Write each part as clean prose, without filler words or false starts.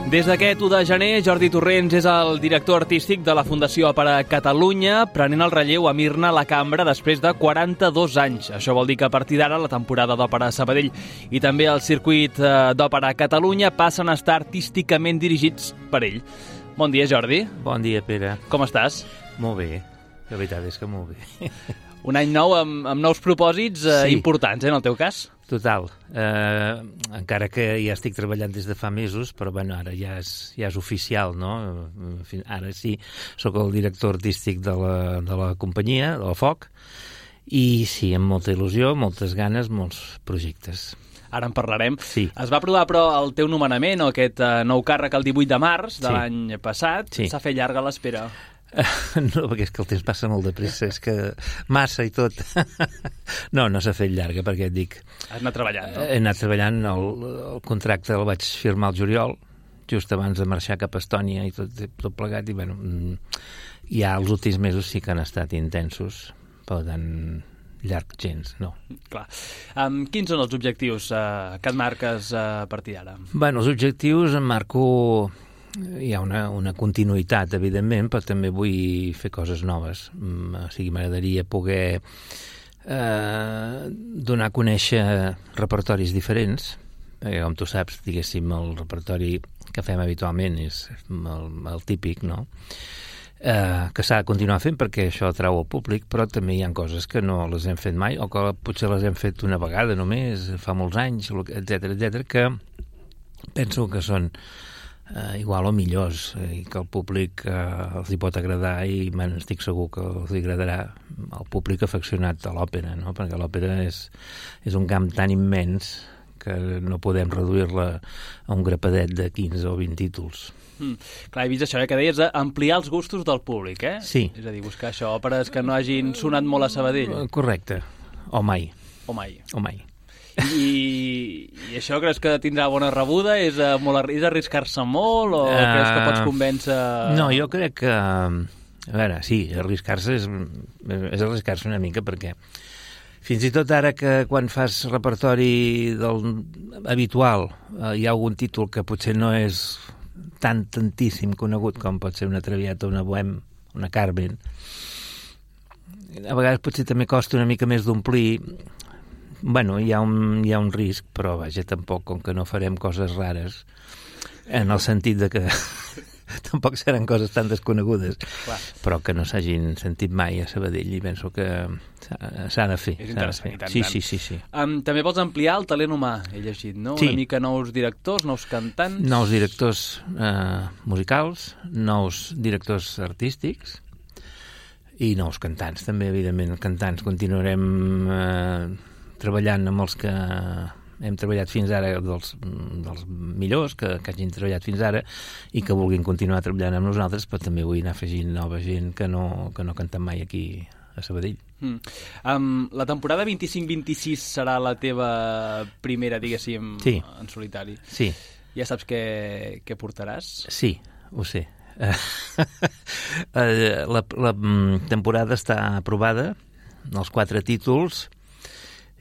Des d'aquest 1 de gener, Jordi Torrents és el director artístic de la Fundació Òpera Catalunya, prenent el relleu a Mirna la Cambra després de 42 anys. Això vol dir que a partir d'ara la temporada d'Òpera Sabadell i també el circuit d'Òpera Catalunya passen a estar artísticament dirigits per ell. Bon dia, Jordi. Bon dia, Pere. Com estàs? Molt bé. La veritat és que molt bé. Un any nou amb nous propòsits importants, en el teu cas? Total. Encara que ja estic treballant des de fa mesos, però bueno, ara ja és oficial, no? Ara sí, sóc el director artístic de la companyia, de la FOC, i sí, amb molta il·lusió, moltes ganes, molts projectes. Ara en parlarem. Sí. Es va aprovar, però, el teu nomenament, o aquest nou càrrec, el 18 de març de l'any passat. Sí. S'ha fet llarga l'espera. No, perquè és que el temps passa molt de pressa, és que massa i tot. No s'ha fet llarga, perquè et dic... Has anat treballant, no? He anat treballant, el contracte el vaig firmar al juliol, just abans de marxar cap a Estònia i tot plegat, i bueno, ja els últims mesos sí que han estat intensos, per tant, llarg gens, no. Clar. Quins són els objectius que et marques a partir d'ara? Bueno, els objectius em marco... Hi ha una continuïtat, evidentment, però també vull fer coses noves. O sigui, m'agradaria poder donar a conèixer repertoris diferents. Com tu saps, diguéssim, el repertori que fem habitualment és el típic, no? Que s'ha de continuar fent perquè això atrau al públic, però també hi ha coses que no les hem fet mai o que potser les hem fet una vegada només, fa molts anys, etcètera, que penso que són igual o millors, i que el públic els hi pot agradar, i estic segur que els hi agradarà al públic afeccionat a l'òpera, no? Perquè l'òpera és un camp tan immens que no podem reduir-la a un grapadet de 15 o 20 títols. Clar, he vist això, que deies ampliar els gustos del públic, eh? Sí. És a dir, buscar això, òperes que no hagin sonat molt a Sabadell. Correcte. O mai. O mai. I això creus que tindrà bona rebuda? És arriscar-se molt o creus que pots convèncer... No, jo crec que... A veure, sí, arriscar-se és arriscar-se una mica, perquè fins i tot ara que quan fas repertori habitual hi ha algun títol que potser no és tantíssim conegut com pot ser una Traviata, una Bohème, una Carmen. A vegades potser també costa una mica més d'omplir. Bueno, hi ha un risc, però vaja, tampoc, com que no farem coses rares, en el sentit de que tampoc seran coses tan desconegudes, clar, però que no s'hagin sentit mai a Sabadell, i penso que s'ha de fer. És interessant, i tant. Sí. També vols ampliar el talent humà, he llegit, no? Sí. Una mica nous directors, nous cantants... Nous directors musicals, nous directors artístics i nous cantants, també, evidentment. Cantants continuarem treballant amb els que hem treballat fins ara, dels millors que hagin treballat fins ara i que vulguin continuar treballant amb nosaltres, però també vull anar afegint nova gent que no ha cantat mai aquí a Sabadell. La temporada 25-26 serà la teva primera, diguéssim, sí, en solitari. Sí. Ja saps què portaràs? Sí, ho sé. La temporada està aprovada, els 4 títols,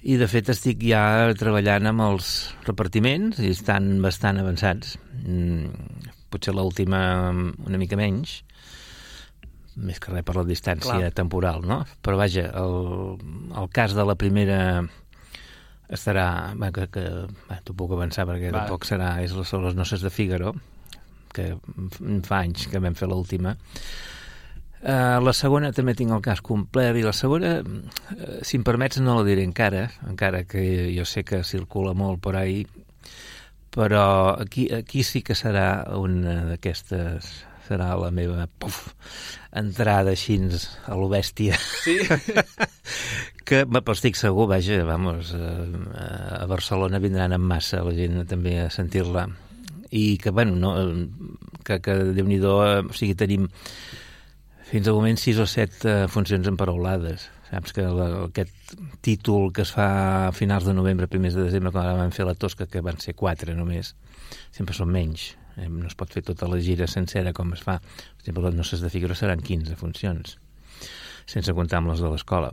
i de fet estic ja treballant amb els repartiments i estan bastant avançats. Potser l'última una mica menys, més que res per la distància temporal, no? Però vaja, el cas de la primera estarà... T'ho puc avançar perquè tampoc serà... Són les Noces de Fígaro, que fa anys que vam fer l'última. La segona també tinc el cas complet, i la segona, si em permets, no la diré encara que jo sé que circula molt per ahí, però aquí sí que serà una d'aquestes, serà la meva entrada així a lo bèstia. Sí? Però estic segur, vaja, a Barcelona vindran en massa la gent també a sentir-la, i que, bueno, que Déu-n'hi-do, o sigui, tenim fins al moment 6 o 7 funcions emparaulades. Saps que aquest títol que es fa a finals de novembre, primers de desembre, quan vam fer la Tosca, que van ser 4 només, sempre són menys. No es pot fer tota la gira sencera com es fa. Per exemple, les Noces de Fígaro seran 15 funcions, sense comptar amb les de l'escola.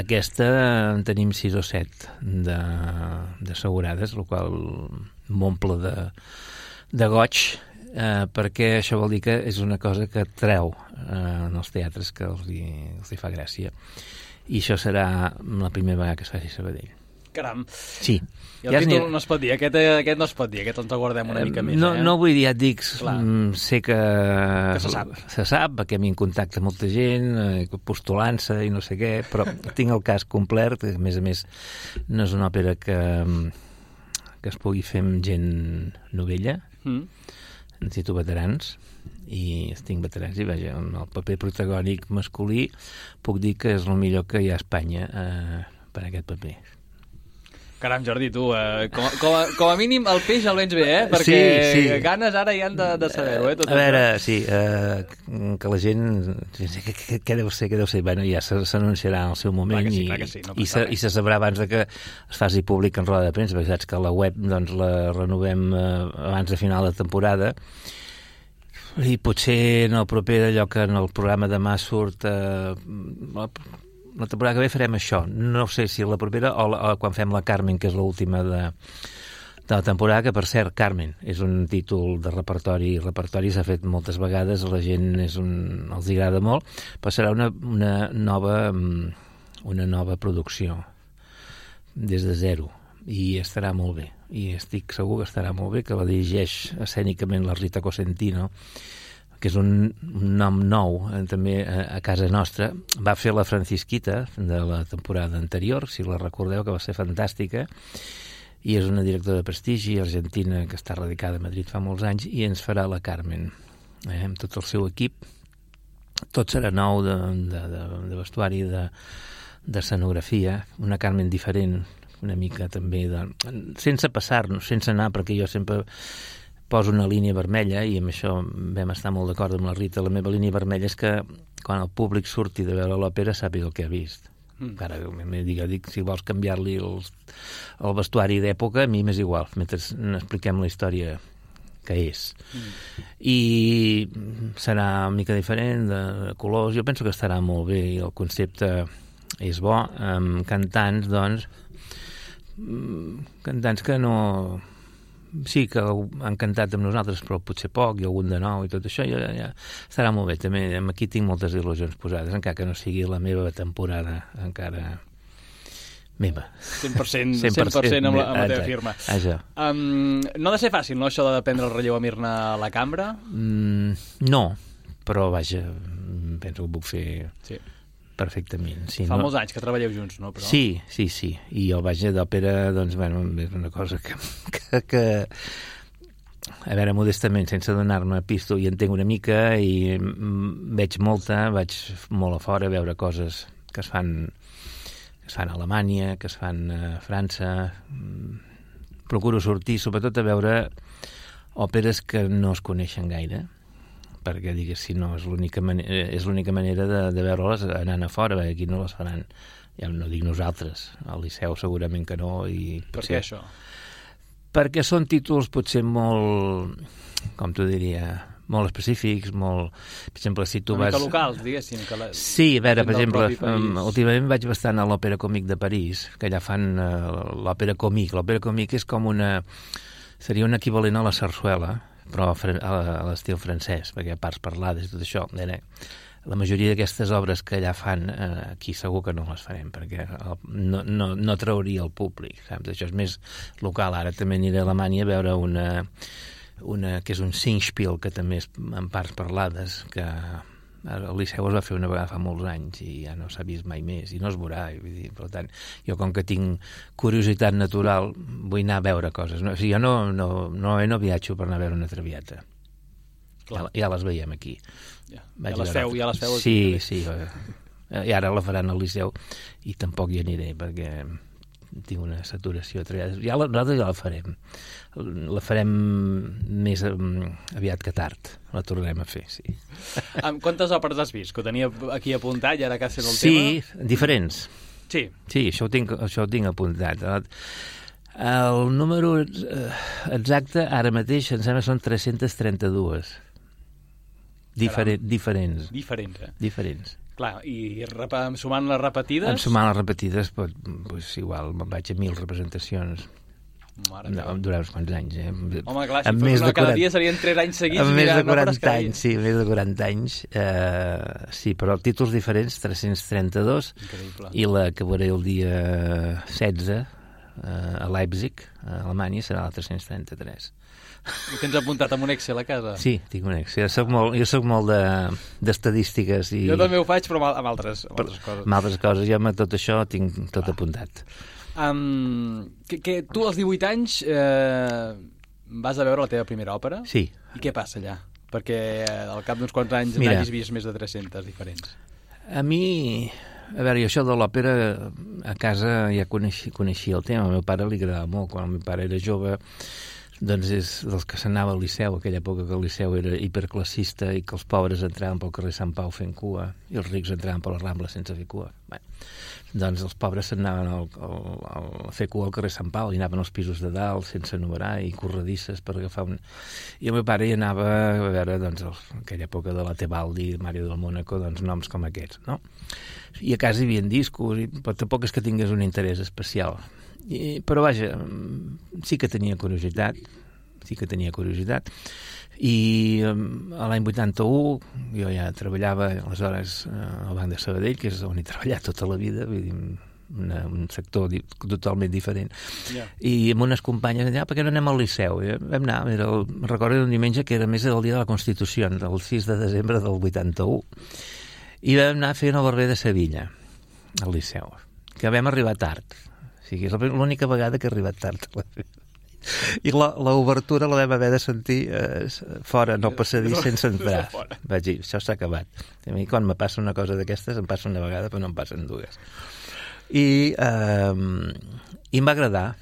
Aquesta en tenim 6 o 7 d'assegurades, el qual m'omple de goig, perquè això vol dir que és una cosa que treu en els teatres, que els hi fa gràcia. I això serà la primera vegada que es faci a Sabadell. Caram. Sí. I el títol no es pot dir, aquest no es pot dir, aquest ens el guardem una mica més. No vull dir, ja et dic, sé que se sap, perquè m'hi contacta molta gent, postulant-se i no sé què, però tinc el cas complet, a més, no és una òpera que es pugui fer amb gent novella, necessito veterans, i tinc veterans, i vaja, el paper protagònic masculí puc dir que és el millor que hi ha a Espanya per a aquest paper. Caram, Jordi, tu, com a mínim el peix el vens bé, perquè sí. ganes ara ja han de saber-ho, tot a veure, sí, que la gent... Què deu ser? Bueno, ja s'anunciarà en el seu moment, clar que sí, i se sabrà abans de que es faci públic en roda de premsa, perquè saps que la web doncs, la renovem abans de final de temporada, i potser en el proper allò que en el programa demà surt... la temporada que ve farem això. No sé si la propera o quan fem la Carmen, que és l'última de la temporada, que per cert, Carmen és un títol de repertori. Repertori s'ha fet moltes vegades, a la gent els agrada molt, però serà una nova producció des de zero, i estarà molt bé, i estic segur que estarà molt bé, que la dirigeix escènicament la Rita Cosentino, que és un nom nou també a casa nostra. Va fer la Francisquita de la temporada anterior, si la recordeu, que va ser fantàstica, i és una directora de prestigi argentina que està radicada a Madrid fa molts anys, i ens farà la Carmen, amb tot el seu equip. Tot serà nou de vestuari, d'escenografia, una Carmen diferent, una mica també, sense passar-nos, sense anar, perquè jo sempre poso una línia vermella, i amb això vam estar molt d'acord amb la Rita. La meva línia vermella és que quan el públic surti de veure l'òpera sàpiga el que ha vist. Ara dic, si vols canviar-li el vestuari d'època, a mi m'és igual, mentre expliquem la història que és. I serà una mica diferent, de colors. Jo penso que estarà molt bé, i el concepte és bo, amb cantants, doncs, cantants que no... Sí, que han cantat amb nosaltres, però potser poc, i algun de nou, i tot això ja estarà molt bé. També aquí tinc moltes il·lusions posades, encara que no sigui la meva temporada, encara meva. 100% amb la teva firma. Això. No ha de ser fàcil, no, això de prendre el relleu a Mirna a la cambra? No, però vaja, penso que ho puc fer... Sí. Perfectament. Sí, Fa molts anys que treballeu junts, no? Però... Sí. I el Baix d'Òpera, doncs, bueno, és una cosa que a veure, modestament, sense donar-me pisto, i entenc una mica, i vaig molt a fora a veure coses que es fan a Alemanya, que es fan a França. Procuro sortir, sobretot, a veure òperes que no es coneixen gaire, perquè, digues, si no, és l'única manera de veure-les anant a fora, perquè aquí no les faran. Ja no dic nosaltres, al Liceu segurament que no. Per què això? Perquè són títols potser molt, com t'ho diria, molt específics, molt... Per exemple, si tu vas... Una mica locals, diguéssim. Sí, a veure, per exemple, últimament vaig bastant a l'Òpera Còmic de París, que allà fan l'òpera còmic. L'òpera còmic és com seria un equivalent a la sarsuela, però a l'estil francès, perquè a parts parlades i tot això. La majoria d'aquestes obres que allà fan, aquí segur que no les farem, perquè no trauria el públic, saps? Això és més local. Ara també aniré a Alemanya a veure una que és un Singspiel, que també és en parts parlades, que al Liceu es va fer una vegada fa molts anys i ja no s'ha vist mai més, i no es veurà. Per tant, jo, com que tinc curiositat natural, vull anar a veure coses. O sigui, jo no viatjo per anar a veure una Traviata. Ja les veiem aquí. Ja les feu aquí. Sí. I ara la faran al Liceu i tampoc hi aniré, perquè tinc una saturació. Nosaltres ja la farem. La farem més aviat que tard. La tornarem a fer, sí. Quantes òperes has vist? Que ho tenia aquí apuntat i ara que has fet el tema. Sí, diferents. Sí, això ho tinc apuntat. El número exacte ara mateix em sembla que són 332. Diferents. Diferents. Clar, i sumant les repetides? Sumant les repetides, doncs igual, me'n vaig a 1.000 representacions. Durant uns quants anys, Home, clar, si fos una cada dia serien 3 anys seguits. Amb més de 40 anys, sí, més de 40 anys. Sí, però títols diferents, 332. Increïble. I la que veuré el dia 16 a Leipzig, a Alemanya, serà la 333. I tens apuntat amb un Excel a casa? Sí, tinc un Excel. Jo soc molt d'estadístiques. Jo també ho faig, però amb altres coses. Amb altres coses. Jo amb tot això tinc tot apuntat. Que tu als 18 anys vas a veure la teva primera òpera? Sí. I què passa allà? Perquè al cap d'uns quants anys n'hagis vist més de 300 diferents. A mi, a veure, jo això de l'òpera a casa ja coneixia el tema. Al meu pare li agradava molt. Quan el meu pare era jove, doncs és dels que s'anava al Liceu, aquella època que el Liceu era hiperclassista i que els pobres entraven pel carrer Sant Pau fent cua i els rics entraven per la Rambla sense fer cua. Bé, doncs els pobres s'anaven a fer cua al carrer Sant Pau i anaven als pisos de dalt sense numerar i corredisses per agafar un... I el meu pare hi anava a veure, doncs, aquella època de la Tebaldi, Mario del Mónaco, doncs noms com aquests, no? I a casa hi havia discos, però tampoc és que tingués un interès especial. Però vaja, sí que tenia curiositat i l'any 81 jo ja treballava aleshores al Banc de Sabadell, que és on he treballat tota la vida, vull dir, un sector totalment diferent. I amb unes companyes allà, per què no anem al Liceu? I vam anar, recordo un diumenge que era més el dia de la Constitució, el 6 de desembre del 81, i vam anar a fer el Barber de Sevilla al Liceu, que vam arribar tard. O sigui, és l'única vegada que he arribat tard a la vida. I l'obertura la vam haver de sentir fora, no passadís, sense entrar. Vaig dir, això s'ha acabat. A mi, quan me passa una cosa d'aquestes, em passa una vegada, però no em passen dues. I em va agradar.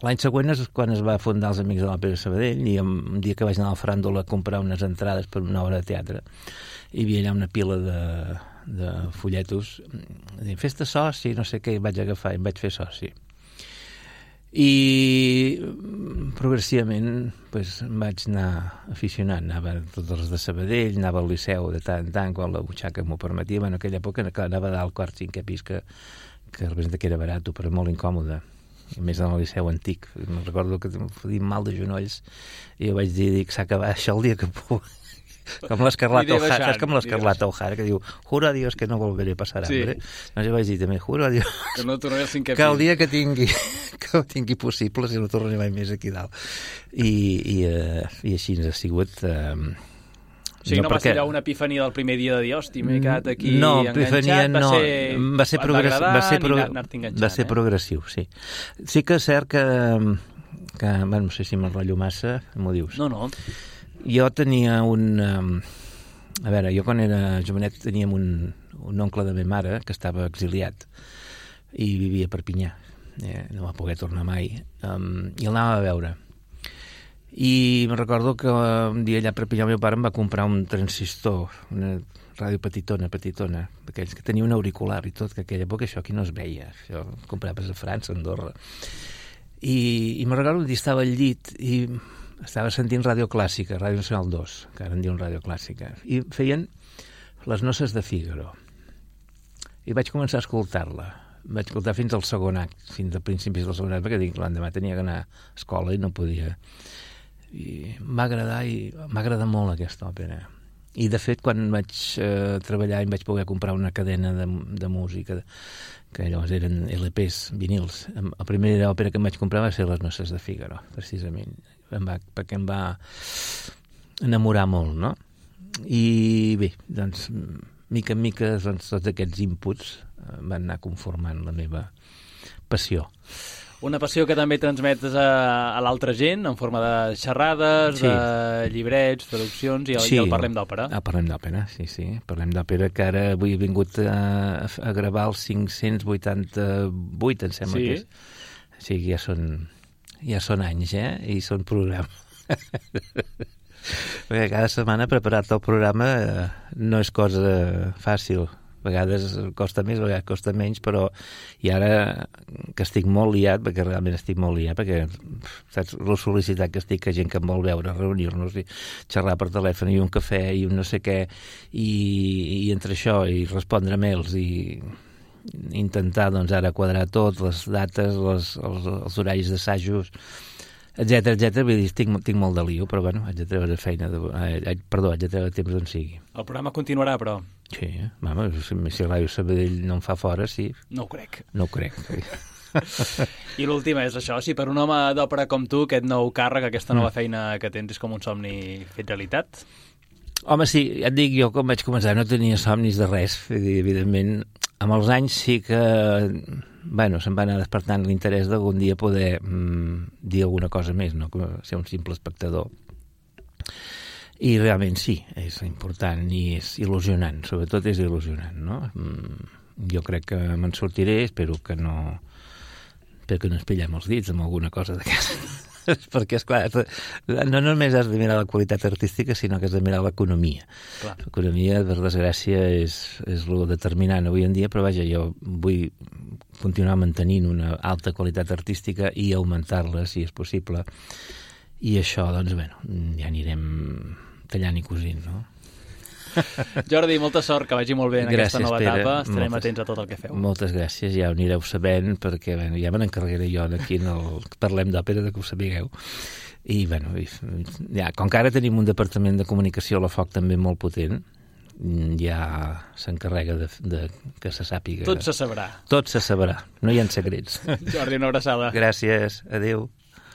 L'any següent és quan es va fundar els Amics de l'Òpera de Sabadell, i un dia que vaig anar al Fràndol a comprar unes entrades per una obra de teatre, hi havia allà una pila de folletos, fes-te soci, no sé què, i vaig agafar i em vaig fer soci. I progressivament em vaig anar aficionant, anava a tots els de Sabadell, anava al Liceu de tant en tant, quan la butxaca m'ho permetia. En aquella època anava dalt quart, cinquè pis, que representa que era barat, però molt incòmode. A més, en el Liceu antic. Me'n recordo que em fotia mal de genolls i jo vaig dir, s'ha acabat això el dia que puc. Com l'Escarlata O'Hara, saps com l'Escarlata O'Hara, que diu, juro a Dios que no volveré a passar hambre. Doncs jo vaig dir també, juro a Dios que no tornaré al cinquè pis. Que el dia que ho tingui possible, si no tornaré mai més aquí dalt. I així ens ha sigut... O sigui, no va ser allò una epifania del primer dia de dir, hòstia, m'he quedat aquí enganxat, va ser progressiu, sí. Sí que és cert que no sé si m'enrotllo massa, m'ho dius. No. Jo tenia a veure, jo quan era jovenet teníem un oncle de meva mare que estava exiliat i vivia a Perpinyà, no va poder tornar mai, i el anava a veure. I me'n recordo que un dia allà a Perpinyà el meu pare em va comprar un transistor, una ràdio petitona, d'aquells que tenia un auricular i tot, que aquella època això aquí no es veia, això compraves a França, a Andorra. I me'n recordo un dia estava al llit i estava sentint Ràdio Clàssica, Ràdio Nacional 2, que ara en diuen Ràdio Clàssica, i feien Les noces de Fígaro. I vaig començar a escoltar-la. Vaig escoltar fins al segon act, fins a principis del segon act, perquè l'endemà tenia que anar a escola i no podia. I m'ha agradat molt aquesta òpera. I, de fet, quan vaig treballar i vaig poder comprar una cadena de música, que llavors eren LPs, vinils, la primera òpera que em vaig comprar va ser Les noces de Fígaro, precisament, perquè em va enamorar molt, no? I bé, doncs, mica en mica, doncs, tots aquests inputs van anar conformant la meva passió. Una passió que també transmetes a l'altra gent, en forma de xerrades, sí, de llibrets, traduccions, i el Parlem d'Òpera. Parlem d'Òpera, sí. Parlem d'Òpera, que ara avui he vingut a gravar el 588, em sembla que és. O sigui, ja són anys, i són programes. Perquè cada setmana preparar-te el programa no és cosa fàcil. A vegades costa més, a vegades costa menys, però i ara que estic molt liat, perquè realment estic molt liat, perquè saps la sol·licitat que estic, que gent que em vol veure, reunir-nos i xerrar per telèfon i un cafè i un no sé què, i entre això i respondre mails i intentar doncs, ara quadrar tot, les dates, els horaris d'assajos, etcètera. Vull dir, tinc molt de lío, però bueno, haig de treure feina, haig de treure temps d'on sigui. El programa continuarà, però... Sí, mama, si Ràdio Sabadell no em fa fora, sí. No ho crec. Sí. I l'última és això, si per un home d'òpera com tu aquest nou càrrec, aquesta nova feina que tens és com un somni fet realitat? Home, sí, ja et dic, jo quan vaig començar no tenia somnis de res, evidentment. Amb els anys sí que, bueno, se'm va anar despertant l'interès d'algun dia poder dir alguna cosa més, no que ser un simple espectador. I realment sí, és important i és il·lusionant, sobretot és il·lusionant, no? Jo crec que me'n sortiré, espero que no ens pillem els dits amb alguna cosa d'aquestes. Perquè, esclar, no només has de mirar la qualitat artística, sinó que has de mirar l'economia. L'economia, per desgràcia, és el determinant avui en dia, però vaja, jo vull continuar mantenint una alta qualitat artística i augmentar-la, si és possible. I això, doncs, bueno, ja anirem tallant i cosint, no? Jordi, molta sort, que vagi molt bé en aquesta nova etapa. Estarem atents a tot el que feu. Moltes gràcies, ja ho anireu sabent, perquè bueno, ja me n'encarregaré jo aquí en el Parlem d'Òpera, que ho sapigueu. I, bueno, ja, com que ara tenim un departament de comunicació a la FOC també molt potent, ja s'encarrega de que se sàpiga. Tot se sabrà. Tot se sabrà, no hi ha secrets. Jordi, una abraçada. Gràcies, adéu.